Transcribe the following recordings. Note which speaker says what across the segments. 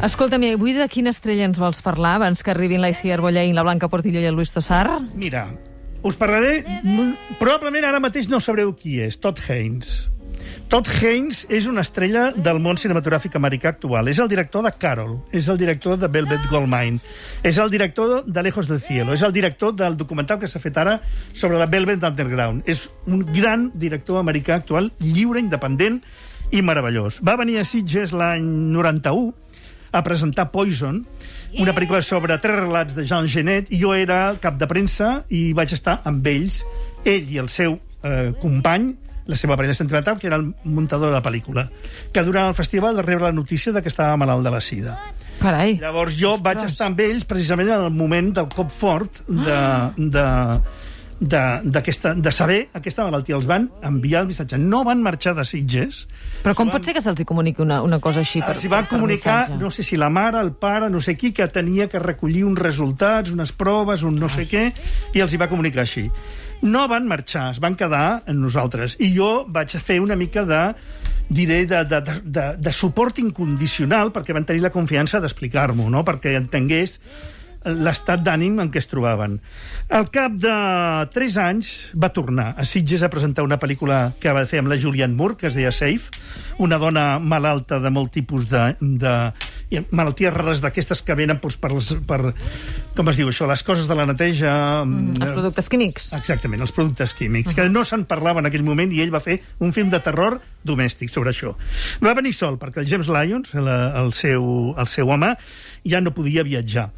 Speaker 1: Escolta'm, avui de quina estrella ens vols parlar abans que arribin l'Aitziar Bollaín, la Blanca Portillo i el Luis Tosar?
Speaker 2: Mira, us parlaré... Probablement ara mateix no sabreu qui és, Todd Haynes. Todd Haynes és una estrella del món cinematogràfic americà actual. És el director de Carol, és el director de Velvet Goldmine, és el director de Lejos del Cielo, és el director del documental que s'ha fet ara sobre la Velvet Underground. És un gran director americà actual, lliure, independent i meravellós. Va venir a Sitges l'any 91 a presentar Poison, una pel·lícula sobre 3 relats de Jean Genet, i jo era cap de premsa i vaig estar amb ells, ell i el seu company, la seva parella sentimental, que era el muntador de la pel·lícula, que durant el festival va rebre la notícia de que estava malalt de la sida.
Speaker 1: Carai.
Speaker 2: Llavors jo vaig estar amb ells precisament en el moment del cop fort de saber aquesta malaltia. Els van enviar el missatge. No van marxar de Sitges.
Speaker 1: Però com pot ser que se'ls comuniqui una cosa així per
Speaker 2: missatge? S'hi va comunicar, no sé si la mare, el pare, no sé qui, que tenia que recollir uns resultats, unes proves, un no sé què, i els hi va comunicar així. No van marxar, es van quedar amb nosaltres. I jo vaig fer una mica de suport incondicional, perquè van tenir la confiança d'explicar-m'ho, no? Perquè entengués l'estat d'ànim en què es trobaven. Al cap de 3 anys va tornar a Sitges a presentar una pel·lícula que va fer amb la Julianne Moore, que es deia Safe, una dona malalta de molt tipus de malalties rares d'aquestes que venen per com es diu això, les coses de la neteja...
Speaker 1: Els productes químics.
Speaker 2: Exactament, els productes químics, que no se'n parlava en aquell moment, i ell va fer un film de terror domèstic sobre això. Va venir sol, perquè el James Lyons, el seu home, ja no podia viatjar.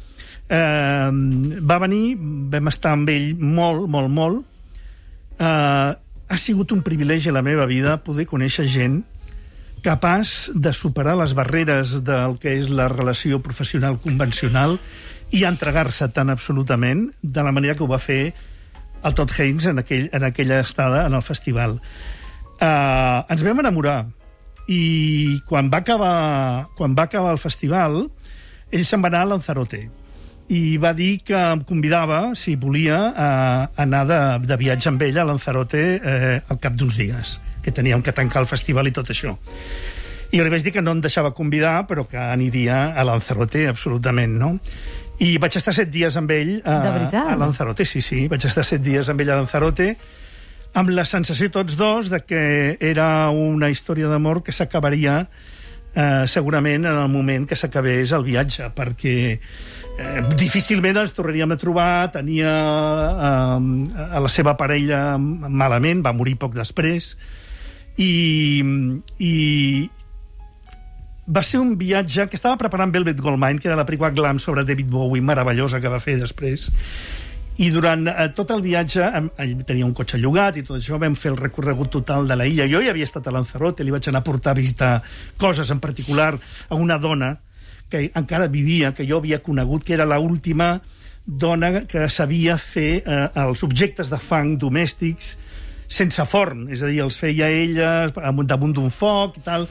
Speaker 2: Va venir, vam estar amb ell molt. Ha sigut un privilegi a la meva vida poder conèixer gent capaç de superar les barreres del que és la relació professional convencional i entregar-se tan absolutament de la manera que ho va fer el Todd Haynes en aquella estada en el festival. Ens vam enamorar, i quan va acabar el festival ell se'n va anar a Lanzarote i va dir que em convidava, si volia, a anar de viatge amb ella a Lanzarote al cap d'uns dies, que teníem que tancar el festival i tot això. I jo li vaig dir que no em deixava convidar, però que aniria a Lanzarote, absolutament, no? I vaig estar 7 dies amb ell a Lanzarote, sí, vaig estar 7 dies amb ell a Lanzarote, amb la sensació tots dos de que era una història d'amor que s'acabaria segurament en el moment que s'acabés el viatge, perquè difícilment ens tornaríem a trobar. Tenia a la seva parella malament, va morir poc després, i va ser un viatge que estava preparant Velvet Goldmine, que era la pel·lícula glam sobre David Bowie, meravellosa, que va fer després. I durant tot el viatge, ell tenia un cotxe llogat i tot això, vam fer el recorregut total de la illa. Jo ja havia estat a Lanzarote, li vaig anar a portar a visitar coses, en particular a una dona que encara vivia, que jo havia conegut, que era l'última dona que sabia fer els objectes de fang domèstics sense forn, és a dir, els feia ella damunt d'un foc i tal.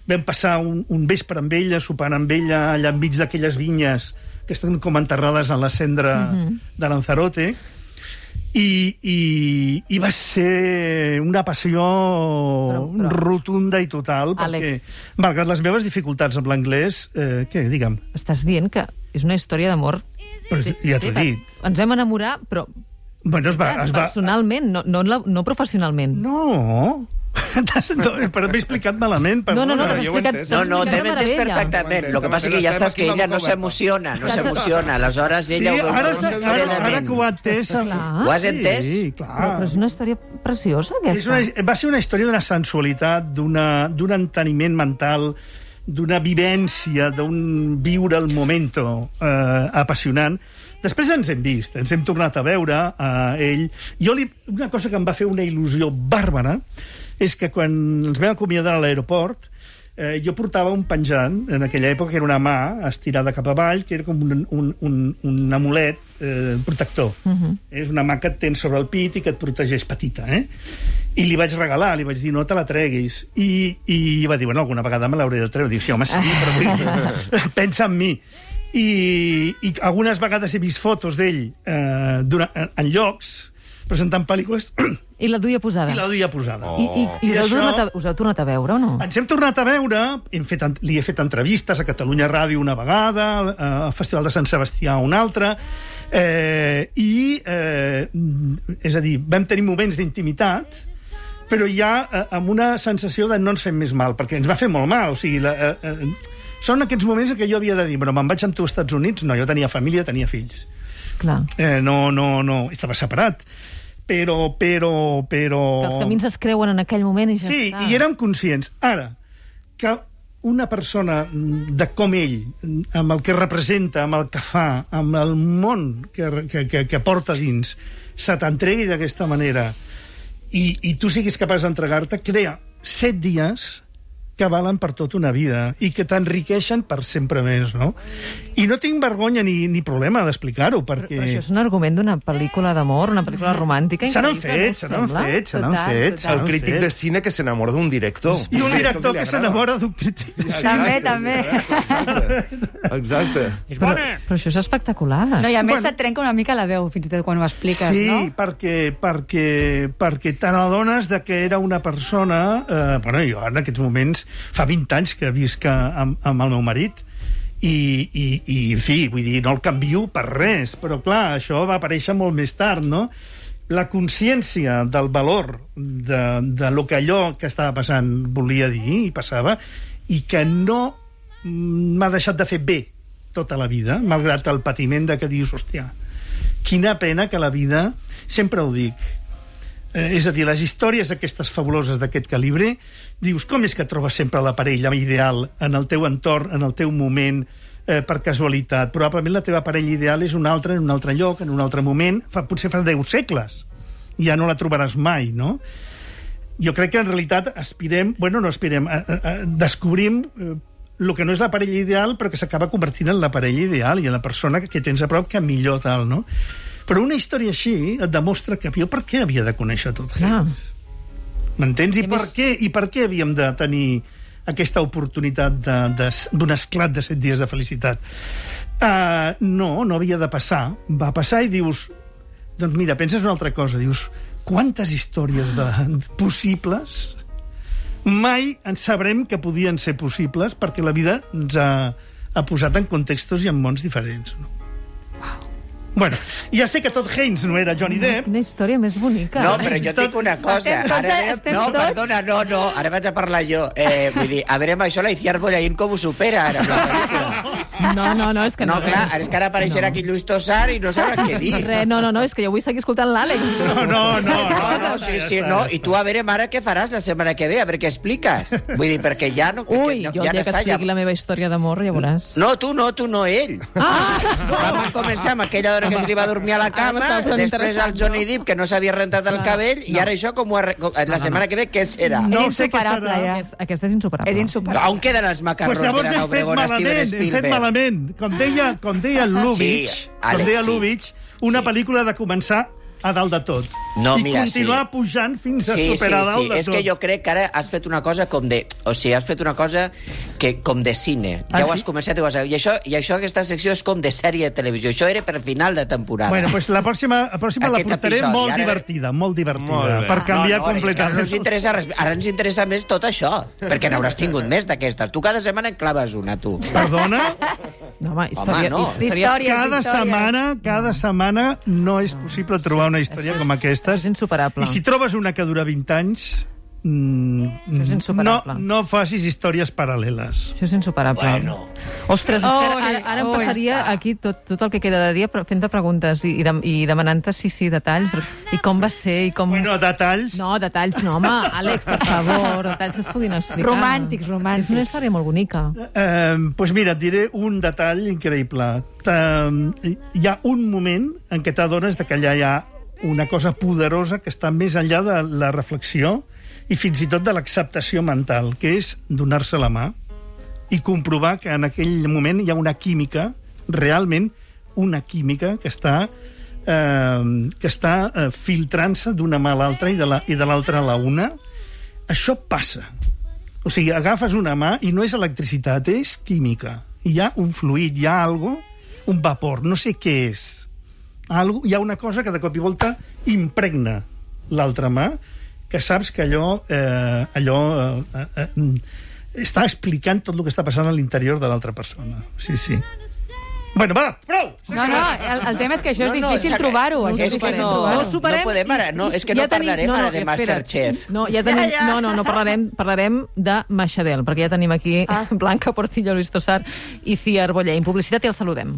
Speaker 2: Vam passar un vespre amb ella, sopant amb ella allà enmig d'aquelles vinyes que estan com enterrades en la cendra de Lanzarote, i va ser una passió rotunda i total, perquè, malgrat les meves dificultats amb l'anglès, què, digue'm?
Speaker 1: Estàs dient que és una història d'amor.
Speaker 2: Ja t'ho he dit.
Speaker 1: Ens vam enamorar, però personalment, no professionalment.
Speaker 2: No... Però m'he explicat malament.
Speaker 1: No, t'has explicat
Speaker 3: No, t'hem entès perfectament. El que passa que ja saps que ella no s'emociona. Aleshores ella ho veu fredament.
Speaker 2: Ara que ho ha entès...
Speaker 3: Ho has entès?
Speaker 2: Sí, clar.
Speaker 1: Però és una història preciosa, aquesta.
Speaker 2: Va ser una història d'una sensualitat, d'un enteniment mental, d'una vivència, d'un viure el momento apassionant. Després ens hem vist, ens hem tornat a veure, ell... Una cosa que em va fer una il·lusió bàrbara és que quan ens vam acomiadar a l'aeroport, jo portava un penjant, en aquella època, que era una mà estirada cap avall, que era com un amulet protector. És una mà que et tens sobre el pit i que et protegeix, petita, I li vaig regalar, li vaig dir, no te la treguis. I va dir, bueno, alguna vegada me l'hauré de treure. Dic, sí, home, sí, però pensa en mi. I algunes vegades he vist fotos d'ell en llocs presentant pel·lícules...
Speaker 1: I la duia posada.
Speaker 2: I la duia posada.
Speaker 1: I us heu tornat a veure o no?
Speaker 2: Ens hem tornat a veure, li he fet entrevistes a Catalunya Ràdio una vegada, al Festival de Sant Sebastià una altra, és a dir, vam tenir moments d'intimitat, però ja amb una sensació de no ens fem més mal, perquè ens va fer molt mal, o sigui... Són aquests moments en què jo havia de dir, però me'n vaig amb tu als Estats Units? No, jo tenia família, tenia fills.
Speaker 1: Clar.
Speaker 2: No, estava separat. Però...
Speaker 1: Que els camins es creuen en aquell moment i ja
Speaker 2: sí,
Speaker 1: està.
Speaker 2: Sí, i érem conscients. Ara, que una persona de com ell, amb el que representa, amb el que fa, amb el món que porta dins, se t'entregui d'aquesta manera i tu siguis capaç d'entregar-te, crea 7 dies que valen per tota una vida i que t'enriqueixen per sempre més, no? I no tinc vergonya ni problema d'explicar-ho, perquè...
Speaker 1: Però això és un argument d'una pel·lícula d'amor, una pel·lícula romàntica...
Speaker 2: Se n'han fet.
Speaker 4: El crític de cine que s'enamora d'un director.
Speaker 2: I un director que s'enamora d'un crític.
Speaker 5: També.
Speaker 4: Exacte.
Speaker 1: Però això és espectacular.
Speaker 5: No, i a més se't trenca una mica la veu, fins i tot quan ho expliques, no?
Speaker 2: Sí, perquè t'adones que era una persona... Bueno, jo en aquests moments fa 20 anys que visc amb el meu marit i en fi, vull dir, no el canvio per res, però clar, això va aparèixer molt més tard, no? La consciència del valor de lo que allò que estava passant volia dir i passava, i que no m'ha deixat de fer bé tota la vida, malgrat el patiment de que dius, hòstia, quina pena que la vida, sempre ho dic, és a dir, les històries aquestes fabuloses d'aquest calibre, dius, com és que trobes sempre la parella ideal en el teu entorn, en el teu moment, per casualitat? Probablement la teva parella ideal és una altra, en un altre lloc, en un altre moment, potser fa 10 segles. Ja no la trobaràs mai, no? Jo crec que en realitat descobrim el que no és la parella ideal, però que s'acaba convertint en la parella ideal i en la persona que tens a prop que millor tal, no? Però una història així et demostra que jo per què havia de conèixer tot Haynes? M'entens? I per què havíem de tenir aquesta oportunitat d'un esclat de 7 dies de felicitat? No havia de passar. Va passar i dius... Doncs mira, penses una altra cosa. Dius, quantes històries possibles mai en sabrem que podien ser possibles perquè la vida ens ha posat en contextos i en mons diferents, no? Bueno, ja sé que tot Haynes no era Johnny Depp.
Speaker 1: Quina història més bonica.
Speaker 3: No, però jo et dic una cosa. Perdona, ara vaig a parlar jo. Vull dir, a veure, amb això la Iciar Bollaín com ho supera ara.
Speaker 1: No, és que no.
Speaker 3: No, clar, és que ara apareixerà aquí Lluís Tossar i no sabràs què dir.
Speaker 1: No, és que jo vull seguir escoltant l'Àlex.
Speaker 3: No, sí, i tu a veure, mare, què faràs la setmana que ve? A veure què expliques. Vull dir, perquè ja no...
Speaker 1: Ui, jo el dia que expliqui la meva història d'amor, ja veuràs.
Speaker 3: No, tu no, ell. Vam començar amb aquella hora que se li va dormir a la cama, després el Johnny Depp, que no s'havia rentat el cabell, i ara això, la setmana que ve, què serà?
Speaker 2: No sé què serà.
Speaker 1: Aquesta és insuperable.
Speaker 5: És insuperable.
Speaker 3: On queden els macarrons de la Obregón a Steven Spielberg?
Speaker 2: Hem fet malament. Com deia Lubitsch, una pel·lícula de començar a dalt de tot.
Speaker 3: No,
Speaker 2: I
Speaker 3: mira,
Speaker 2: continuar pujant fins a superar dalt de tot.
Speaker 3: És que jo crec que ara has fet una cosa com de... O sigui, has fet una cosa com de cine. Ja ho has començat i ho has... I això, aquesta secció és com de sèrie de televisió. Això era per final de temporada.
Speaker 2: Bueno, doncs la pròxima la portaré molt divertida, per canviar completament.
Speaker 3: No ens interessa res. Ara ens interessa més tot això, perquè n'hauràs tingut més d'aquestes. Tu cada setmana en claves una, tu.
Speaker 2: Perdona?
Speaker 1: No, home,
Speaker 2: cada setmana no és possible trobar una història com aquesta.
Speaker 1: És insuperable.
Speaker 2: I si trobes una que dura 20 anys,
Speaker 1: és insuperable.
Speaker 2: No facis històries paral·leles.
Speaker 1: Això és insuperable.
Speaker 3: Bueno.
Speaker 1: Ostres, ara em passaria aquí tot el que queda de dia fent-te preguntes i demanant-te sí, detalls. I com va ser, i com...
Speaker 2: Bueno, detalls...
Speaker 1: No, detalls no, home. Àlex, per favor, detalls que es puguin explicar.
Speaker 5: Romàntics.
Speaker 1: És una història molt bonica.
Speaker 2: Doncs mira, et diré un detall increïble. Hi ha un moment en què t'adones que allà hi ha una cosa poderosa que està més enllà de la reflexió i fins i tot de l'acceptació mental, que és donar-se la mà i comprovar que en aquell moment hi ha una química, realment una química que està filtrant-se d'una mà a l'altra i de l'altra a la una. Això passa. O sigui, agafes una mà i no és electricitat, és química. Hi ha un fluid, hi ha algo, un vapor, no sé què és. hi ha una cosa que de cop i volta impregna l'altra mà, que saps que allò està explicant tot el que està passant a l'interior de l'altra persona. Sí. Bueno, va, prou!
Speaker 5: No, el tema és que això és difícil trobar-ho.
Speaker 3: És que no podem ara, és que no parlarem ara de Masterchef.
Speaker 1: No parlarem de Maixabel, perquè ja tenim aquí Blanca Portillo, Luis Tosar i Cia Arboller. En publicitat i el saludem.